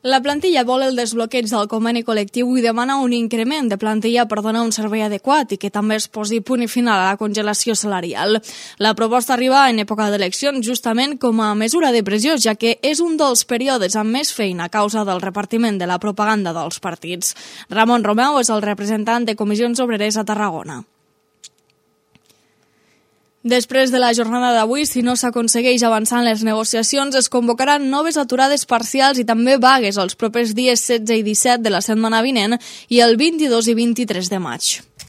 La plantilla vol el desbloqueig del conveni col·lectiu i demana un increment de plantilla per donar un servei adequat i que també es posi punt i final a la congelació salarial. La proposta arriba en època d'eleccions justament com a mesura de pressió, ja que és un dels períodes amb més feina a causa del repartiment de la propaganda dels partits. Ramon Romeu és el representant de Comissions Obreres a Tarragona. Després de la jornada d'avui, si no s'aconsegueix avançar en les negociacions, es convocaran noves aturades parcials i també vagues els propers dies 16 i 17 de la setmana vinent i el 22 i 23 de maig.